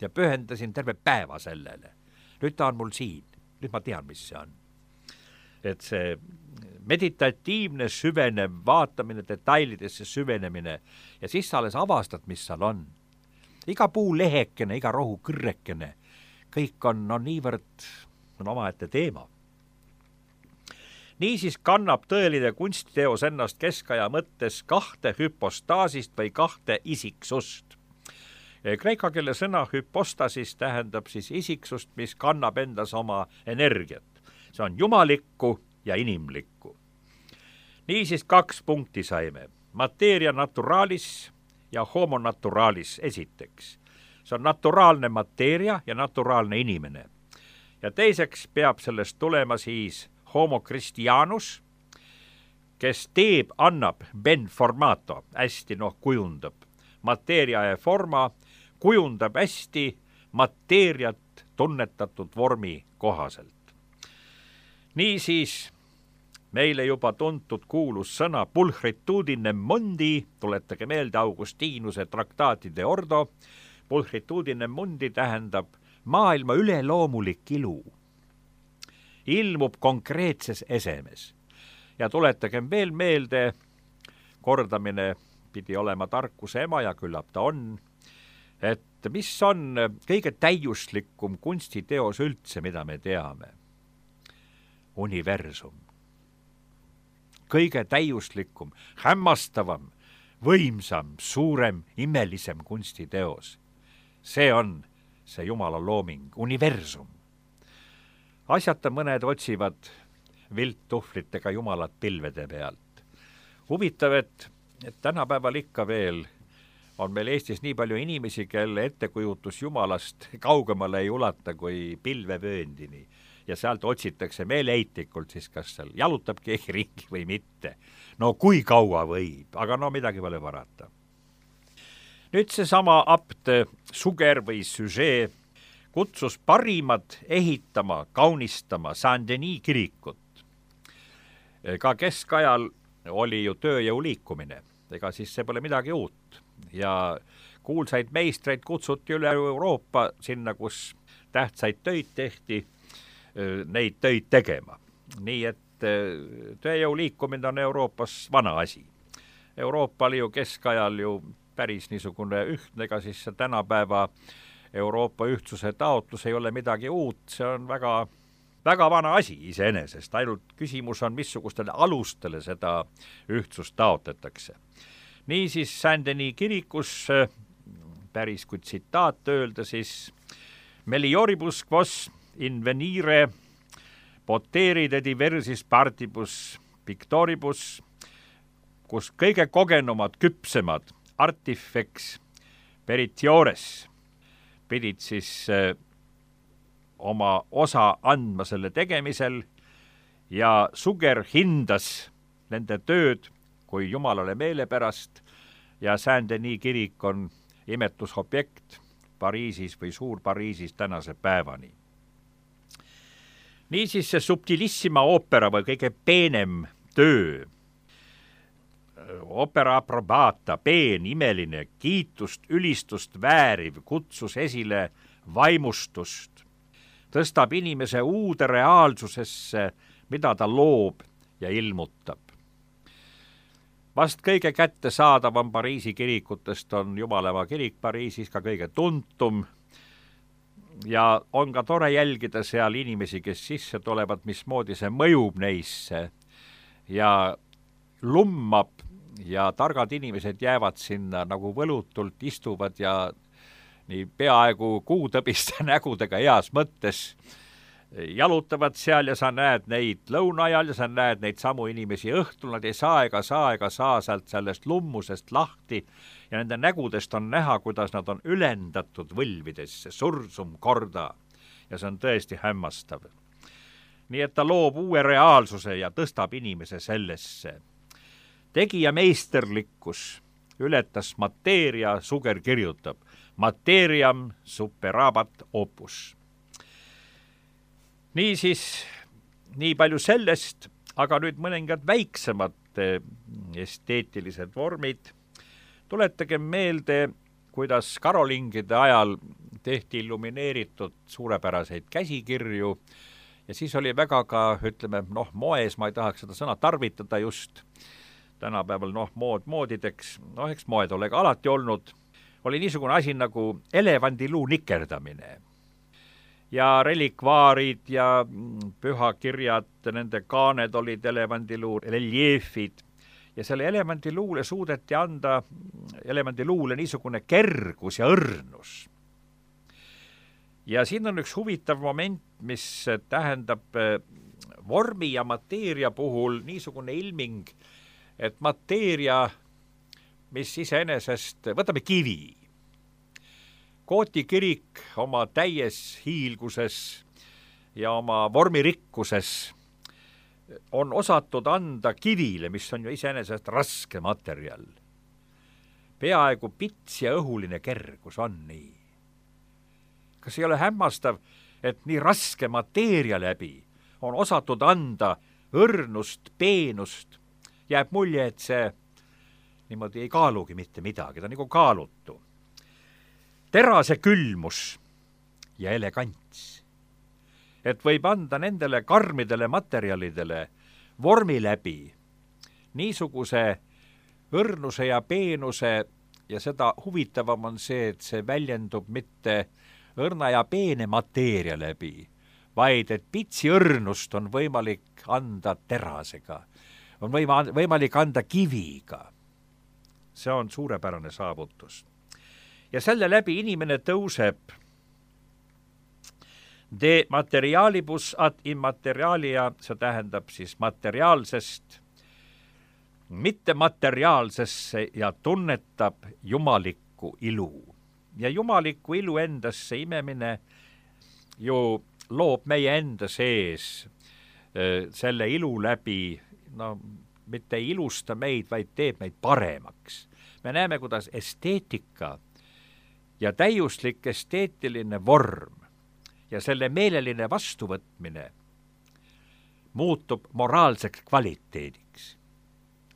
ja pühendasin terve päeva sellele. Nüüd ta on mul siin, nüüd ma tean, mis see on. Et see meditatiivne süvenev vaatamine, detailidesse süvenemine ja siis sa alles avastad, mis seal on. Iga puu lehekene, iga rohu kõrrekene, kõik on, on niivõrd on omaette teema. Niisiis kannab tõeline kunstiteos ennast keskaja mõttes kahte hüpostaasist või kahte isiksust. Kreeka keele sõna hüpostasis tähendab siis isiksust, mis kannab endas oma energiat. See on jumalikku ja inimlikku. Niisiis kaks punkti saime. Materia naturalis ja homo naturalis esiteks. See on naturaalne mateeria ja naturaalne inimene. Ja teiseks peab sellest tulema siis homo Christianus, kes teeb, annab ben formato, hästi noh kujundab. Mateeria ja forma kujundab hästi mateeriat tunnetatud vormi kohaselt. Niisiis meile juba tuntud kuulus sõna pulchritudine mundi, tuletage meelde Augustinuse traktaatide ordo, pulchritudine mundi tähendab maailma üleloomulik ilu. Ilmub konkreetses esemes. Ja tuletagem veel meelde, kordamine pidi olema tarkuse ema ja küllap ta on, et mis on kõige täiuslikum kunstiteos üldse, mida me teame? Universum. Kõige täiuslikum, hämmastavam, võimsam, suurem, imelisem kunstiteos. See on see Jumala looming, universum. Asjata mõned otsivad vilttuhvlitega Jumalat pilvede pealt. Huvitav, et, et tänapäeval ikka veel on meil Eestis nii palju inimesi, kelle ettekujutus Jumalast kaugemale ei ulata kui pilvevööndini. Ja sealt otsitakse meeleheitlikult siis, kas seal jalutab keegi ringi või mitte. No kui kaua võib, aga no midagi pole parata. Nüüd see sama apt Suger või Suger kutsus parimad ehitama, kaunistama Saint-Denis kirikut. Ka keskajal oli ju tööjõu liikumine, ega siis see pole midagi uut. Ja kuulsaid meistreid kutsuti üle Euroopa sinna, kus tähtsaid töid tehti, neid töid tegema. Nii et tööjõu liikumine on Euroopas vana asi. Euroopa oli ju keskajal ju päris niisugune ühtne, ega siis see tänapäeva Euroopa ühtsuse taotlus ei ole midagi uut, see on väga, väga vana asi iseenesest, ainult küsimus on, missugustele alustele seda ühtsust taotletakse. Niisiis Saint-Denis kirikus, päris kui tsitaat öelda, siis melioribus quos invenire poteride diversis partibus pictoribus, kus kõige kogenumad, küpsemad artifex peritiores pidid siis äh, oma osa andma selle tegemisel ja Suger hindas nende tööd kui jumalale meelepärast ja Saint-Denis kirik on imetlusobjekt Pariisis või Suur-Pariisis tänase päevani. Niisiis see subtilissima oopera või kõige peenem töö, opera approbata, peen, imeline, kiitust, ülistust vääriv, kutsus esile vaimustust, tõstab inimese uude reaalsusesse, mida ta loob ja ilmutab. Vast kõige kättesaadavam Pariisi kirikutest on Jumaleva kirik Pariisis, ka kõige tuntum, ja on ka tore jälgida seal inimesi, kes sisse tulevad, mismoodi see mõjub neisse ja lummab ja targad inimesed jäävad sinna nagu võlutult, istuvad ja nii peaaegu kuutõbiste nägudega heas mõttes jalutavad seal ja sa näed neid lõuna ajal ja sa näed neid samu inimesi õhtul, nad ei saa ega saa ega saa sealt sellest lummusest lahti ja nende nägudest on näha, kuidas nad on ülendatud võlvidesse, sursum korda ja see on tõesti hämmastav. Nii et ta loob uue reaalsuse ja tõstab inimese sellesse. Tegija meisterlikkus ületas mateeria, Suger kirjutab, materiam superabat opus. Niisiis, nii palju sellest, aga nüüd mõningad väiksemad esteetilised vormid. Tuletage meelde, kuidas karolingide ajal tehti illumineeritud suurepäraseid käsikirju ja siis oli väga ka, ütleme, noh, moes, ma ei tahaks seda sõna tarvitada just, tänapäeval, noh, mood moodideks, noh, eks moed ole ka alati olnud, oli niisugune asi nagu elevandiluu nikerdamine. Ja relikvaarid ja pühakirjad, nende kaaned olid elevandiluu reljeefid ja selle elevandiluule suudeti anda elevandiluule niisugune kergus ja õrnus. Ja siin on üks huvitav moment, mis tähendab vormi ja mateeria puhul niisugune ilming, et mateeria, mis iseenesest, võtame kivi. Kooti kirik oma täies hiilguses ja oma vormirikkuses on osatud anda kivile, mis on ju iseenesest raske materjal. Peaaegu pits ja õhuline kergus on nii. Kas ei ole hämmastav, et nii raske mateeria läbi on osatud anda õrnust, peenust, jääb mulje, et see niimoodi ei kaalugi mitte midagi, ta on nagu kaalutu. Terase külmus ja elegants. Et võib anda nendele karmidele materjalidele vormi läbi niisuguse õrnuse ja peenuse ja seda huvitavam on see, et see väljendub mitte õrna ja peene mateeria läbi, vaid et pitsi õrnust on võimalik anda terasega, on võima, võimalik anda kiviga. See on suurepärane saavutus. Ja selle läbi inimene tõuseb de materialibus ad immaterialia, see tähendab siis materiaalsest, mitte materiaalsesse ja tunnetab jumalikku ilu. Ja jumalikku ilu endasse imemine ju loob meie enda sees selle ilu läbi, no mitte ei ilusta meid, vaid teeb meid paremaks. Me näeme, kuidas esteetika ja täiuslik esteetiline vorm ja selle meeleline vastuvõtmine muutub moraalseks kvaliteediks.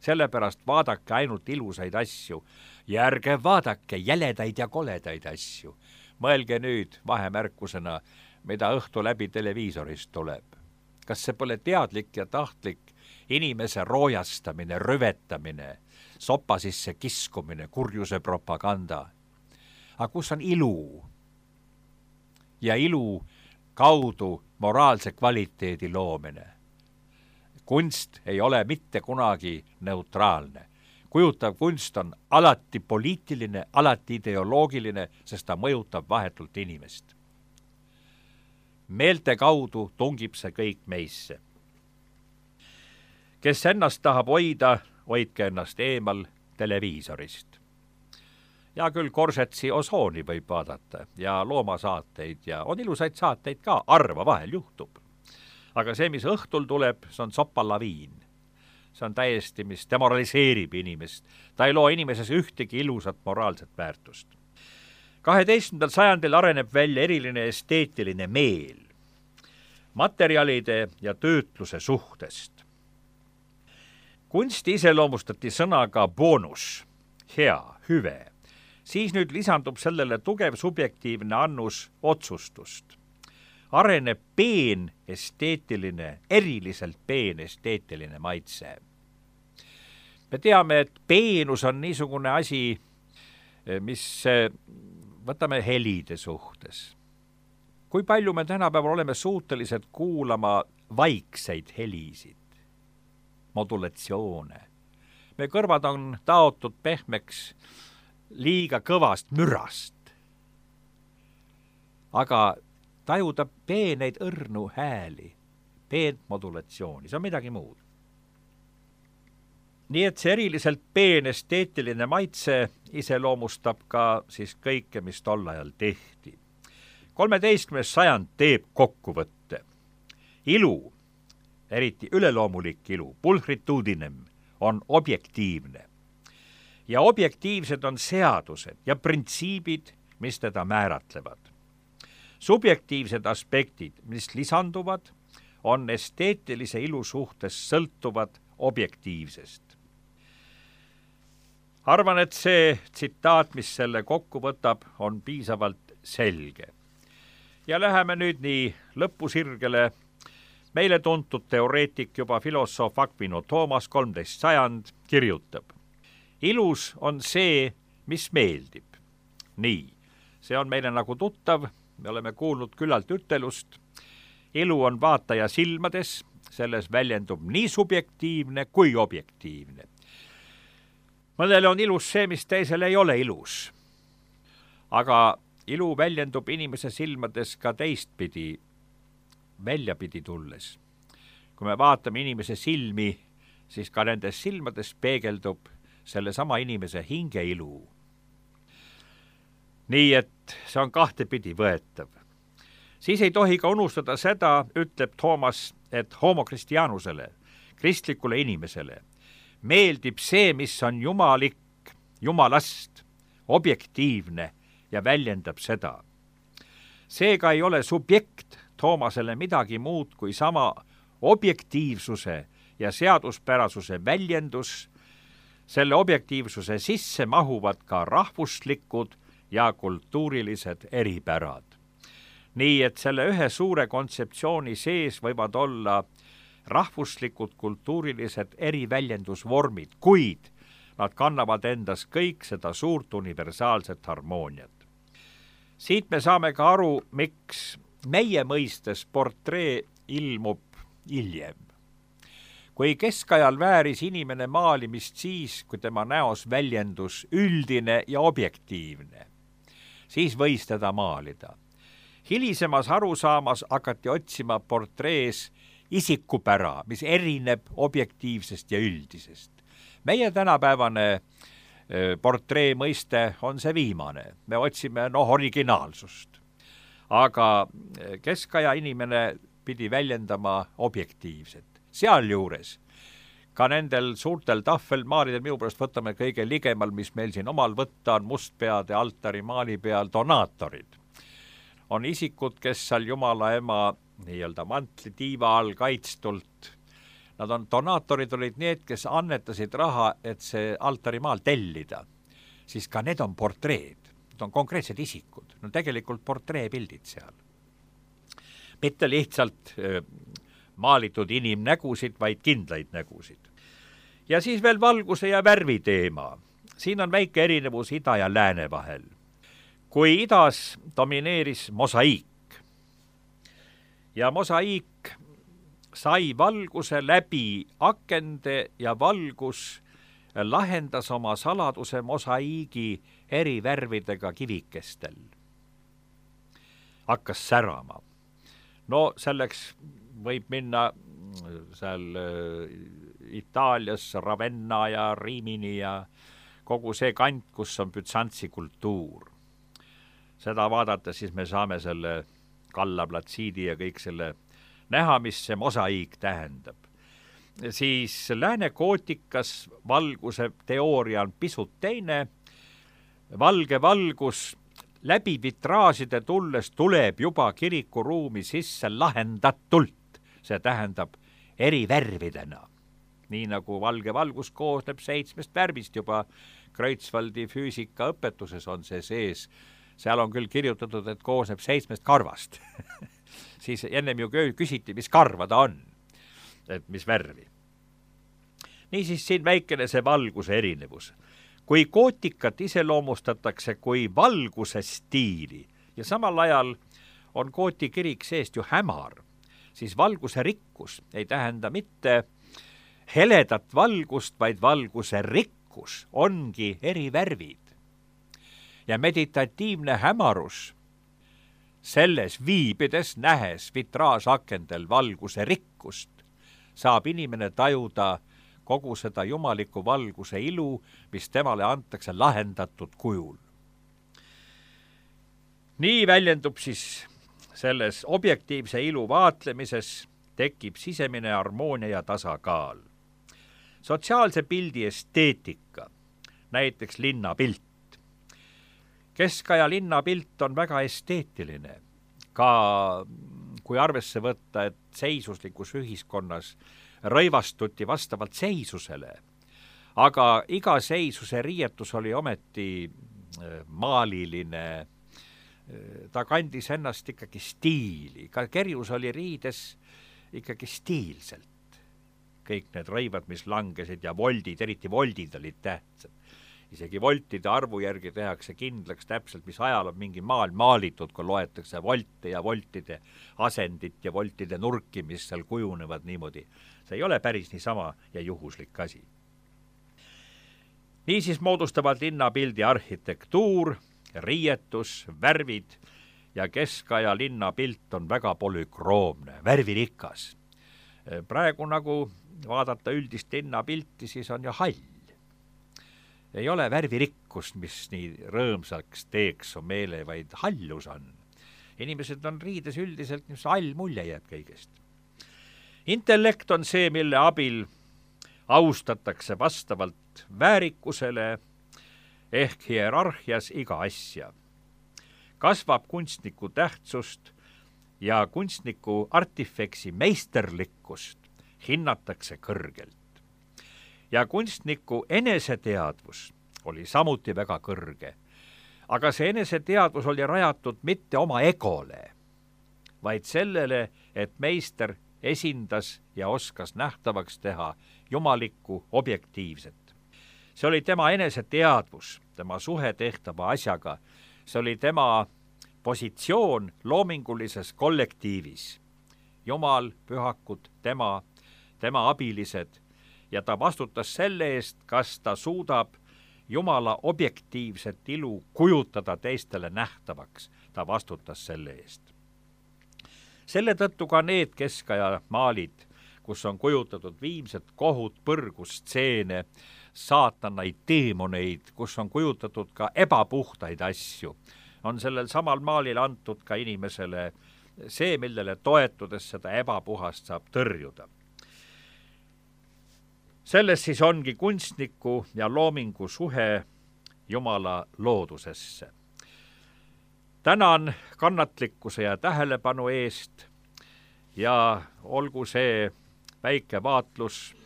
Sellepärast vaadake ainult ilusaid asju ja ärge vaadake jäledaid ja koledaid asju. Mõelge nüüd vahemärkusena, mida õhtu läbi televiisorist tuleb. Kas see pole teadlik ja tahtlik inimese roojastamine, rüvetamine, sopa sisse kiskumine, kurjuse propaganda. Aga kus on ilu? Ja ilu kaudu moraalse kvaliteedi loomine. Kunst ei ole mitte kunagi neutraalne. Kujutav kunst on alati poliitiline, alati ideoloogiline, sest ta mõjutab vahetult inimest. Meelte kaudu tungib see kõik meisse. Kes ennast tahab hoida, hoidke ennast eemal televiisorist. Ja küll Korsetsi Osooni võib vaadata ja loomasaateid ja on ilusaid saateid ka, arva vahel juhtub. Aga see, mis õhtul tuleb, see on sopalaviin. See on täiesti, mis demoraliseerib inimest. Ta ei loo inimeses ühtegi ilusat moraalset väärtust. kaheteistkümnendal sajandil areneb välja eriline esteetiline meel materjalide ja töötluse suhtest. Kunsti iseloomustati sõnaga boonus, hea, hüve. Siis nüüd lisandub sellele tugev subjektiivne annus otsustust. Areneb peen esteetiline, eriliselt peen esteetiline maitse. Me teame, et peenus on niisugune asi, mis võtame helide suhtes. Kui palju me tänapäeval oleme suutelised kuulama vaikseid helisid, modulatsioone. Me kõrvad on taotud pehmeks liiga kõvast mürast. Aga tajuda peeneid õrnu hääli, peent modulatsiooni, see on midagi muud. Nii et see eriliselt peen esteetiline maitse iseloomustab ka siis kõike, mis tol ajal tehti. kolmeteistkümnes sajand teeb kokkuvõtte. Ilu, eriti üleloomulik ilu, pulcritudinem, on objektiivne. Ja objektiivsed on seadused ja printsiibid, mis teda määratlevad. Subjektiivsed aspektid, mis lisanduvad, on esteetilise ilu suhtes sõltuvad objektiivsest. Arvan, et see tsitaat, mis selle kokku võtab, on piisavalt selge. Ja läheme nüüd nii lõpusirgele. Meile tuntud teoreetik, juba filosoof Aquino Thomas, kolmteist sajand, kirjutab. Ilus on see, mis meeldib. Nii, see on meile nagu tuttav, me oleme kuulnud küllalt ütelust. Ilu on vaataja silmades, selles väljendub nii subjektiivne kui objektiivne. Mõnele on ilus see, mis teisele ei ole ilus. Aga ilu väljendub inimese silmades ka teistpidi, väljapidi tulles. Kui me vaatame inimese silmi, siis ka nendes silmades peegeldub selle sama inimese hingeilu. Nii et see on kahtepidi võetav. Siis ei tohi ka unustada seda, ütleb Thomas, et homo kristianusele, kristlikule inimesele, meeldib see, mis on jumalik, jumalast, objektiivne ja väljendab seda. Seega ei ole subjekt Toomasele midagi muud kui sama objektiivsuse ja seaduspärasuse väljendus. Selle objektiivsuse sisse mahuvad ka rahvuslikud ja kultuurilised eripärad. Nii et selle ühe suure kontseptsiooni sees võivad olla rahvuslikud kultuurilised eriväljendusvormid, kuid nad kannavad endas kõik seda suurt universaalset harmooniat. Siit me saame ka aru, miks meie mõistes portree ilmub hiljem. Kui keskajal vääris inimene maalimist siis, kui tema näos väljendus üldine ja objektiivne, siis võis teda maalida. Hilisemas arusaamas hakati otsima portrees isikupära, mis erineb objektiivsest ja üldisest. Meie tänapäevane portree mõiste on see viimane. Me otsime noh originaalsust. Aga keskaja inimene pidi väljendama objektiivset. Sealjuures ka nendel suurtel tahvelmaalidel, minu pärast võtame kõige ligemal, mis meil siin omal võtta on mustpeade altari maali peal donaatorid. On isikud, kes seal Jumala ema nii-öelda mantli tiiva all kaitstult. Nad on, donaatorid olid need, kes annetasid raha, et see altarimaal tellida. Siis ka need on portreed. Need on konkreetsed isikud. No tegelikult portreepildid seal. Mitte lihtsalt maalitud inimnägusid, vaid kindlaid nägusid. ja siis veel valguse ja värvi teema. siin on väike erinevus ida ja lääne vahel. kui idas domineeris mosaiik ja mosaiik sai valguse läbi akende ja valgus lahendas oma saladuse mosaiigi eri värvidega kivikestel. hakkas särama. no selleks võib minna seal Itaalias Ravenna ja Rimini ja kogu see kant, kus on Bütsantsi kultuur. seda vaadates siis me saame selle Galla Platsidi ja kõik selle näha, mis see mosaiik tähendab. siis lääne gootikas valguse teooria on pisut teine. valge valgus läbi vitraažide tulles tuleb juba kirikuruumi sisse lahendatult, see tähendab eri värvidena. nii nagu valge valgus koosneb seitsmest värvist, juba Kreutzwaldi füüsikaõpetuses on see sees. seal on küll kirjutatud, et koosneb seitsmest karvast siis ennem ju küsiti, mis karva ta on, et mis värvi. niisiis siin väikene see valguse erinevus. kui gootikat iseloomustatakse kui valguse stiili ja samal ajal on gooti kirik seest ju hämar, siis valguse rikkus ei tähenda mitte heledat valgust, vaid valguse rikkus ongi eri värvid. ja meditatiivne hämarus selles viibides, nähes vitraažakendel valguse rikkust, saab inimene tajuda kogu seda jumaliku valguse ilu, mis temale antakse lahendatud kujul. nii väljendub siis selles objektiivse ilu vaatlemises, tekib sisemine harmoonia ja tasakaal. sotsiaalse pildi esteetika, näiteks linnapilt. keskaja linnapilt on väga esteetiline, ka kui arvesse võtta, et seisuslikus ühiskonnas rõivastuti vastavalt seisusele, aga iga seisuse riietus oli ometi maaliline, ta kandis ennast ikkagi stiili, ka kerjus oli riides ikkagi stiilselt. kõik need rõivad, mis langesid ja voldid, eriti voldid olid tähtsad. isegi voltide arvu järgi tehakse kindlaks täpselt, mis ajal on mingi maal maalitud, kui loetakse volte ja voltide asendit ja voltide nurki, mis seal kujunevad niimoodi. see ei ole päris niisama ja juhuslik asi. niisiis moodustavad linnapildi arhitektuur, riietus, värvid ja keskaja linnapilt on väga polükroomne, värvirikas. praegu nagu vaadata üldist linnapilti, siis on ju hall. ei ole värvirikkust, mis nii rõõmsaks teeks on meele, vaid hallus on. inimesed on riides üldiselt, mis hall mulje jääb kõigest. Intellekt on see, mille abil austatakse vastavalt väärikusele ehk hierarhias iga asja. kasvab kunstniku tähtsust ja kunstniku artifeksi meisterlikkust hinnatakse kõrgelt. Ja kunstniku eneseteadvus oli samuti väga kõrge, aga see eneseteadvus oli rajatud mitte oma egole, vaid sellele, et meister esindas ja oskas nähtavaks teha jumalikku objektiivset. see oli tema eneseteadvus, tema suhe tehtava asjaga, see oli tema positsioon loomingulises kollektiivis. Jumal, pühakud, tema, tema abilised ja ta vastutas selle eest, kas ta suudab Jumala objektiivset ilu kujutada teistele nähtavaks. ta vastutas selle eest. selle tõttu ka need keskaja maalid, kus on kujutatud viimset kohut, põrgustseene, saatanaid, teemoneid, kus on kujutatud ka ebapuhtaid asju, on sellel samal maalil antud ka inimesele see, millele toetudes seda ebapuhast saab tõrjuda. Selles siis ongi kunstniku ja loomingu suhe Jumala loodusesse. tänan kannatlikkuse ja tähelepanu eest ja olgu see väike vaatlus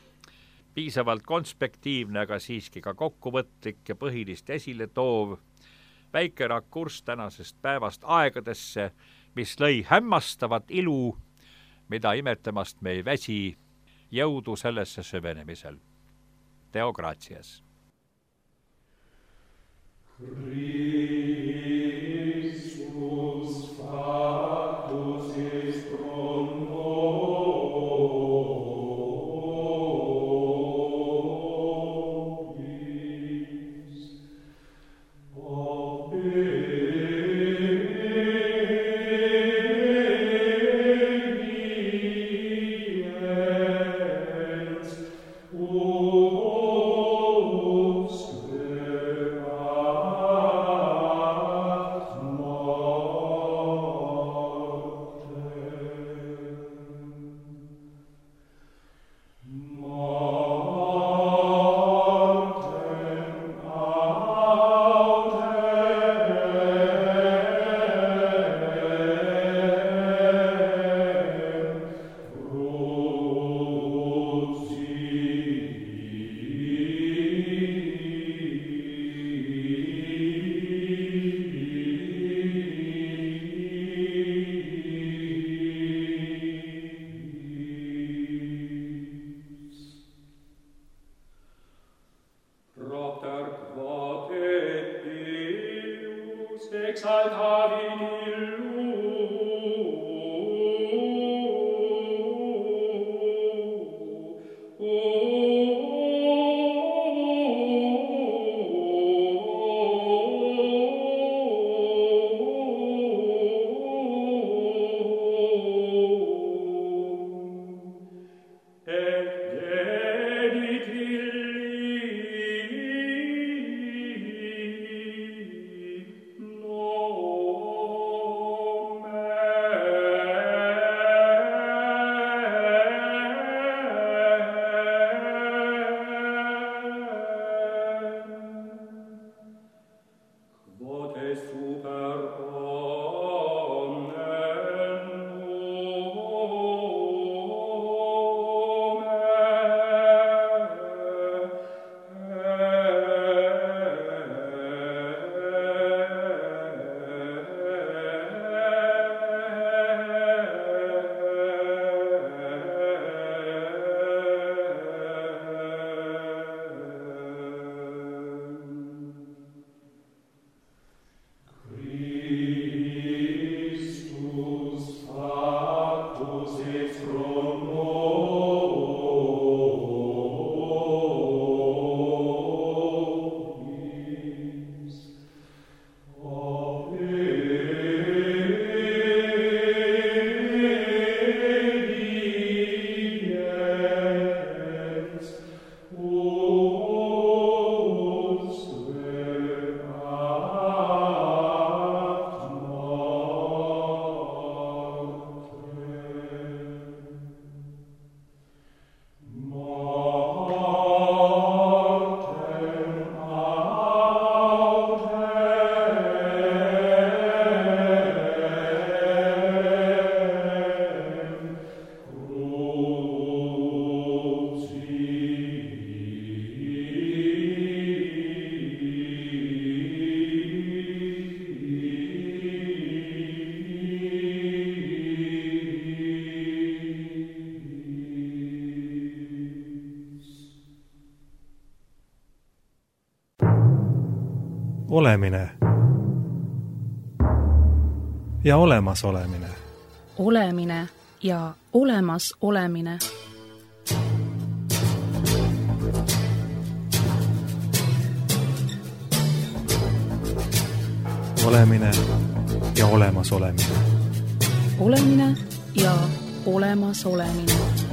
piisavalt konspektiivne, aga siiski ka kokkuvõtlik ja põhilist esile toov, väike rakurss tänasest päevast aegadesse, mis lõi hämmastavat ilu mida imetlemast me ei väsi, jõudu sellesse süvenemisel. Deo gratias. Christus factus est pro nobis, obediens usque ad Olemine ja olemasolemine. Olemine ja olemas olemine. Olemine ja olemas olemine. Olemine ja olemas olemine.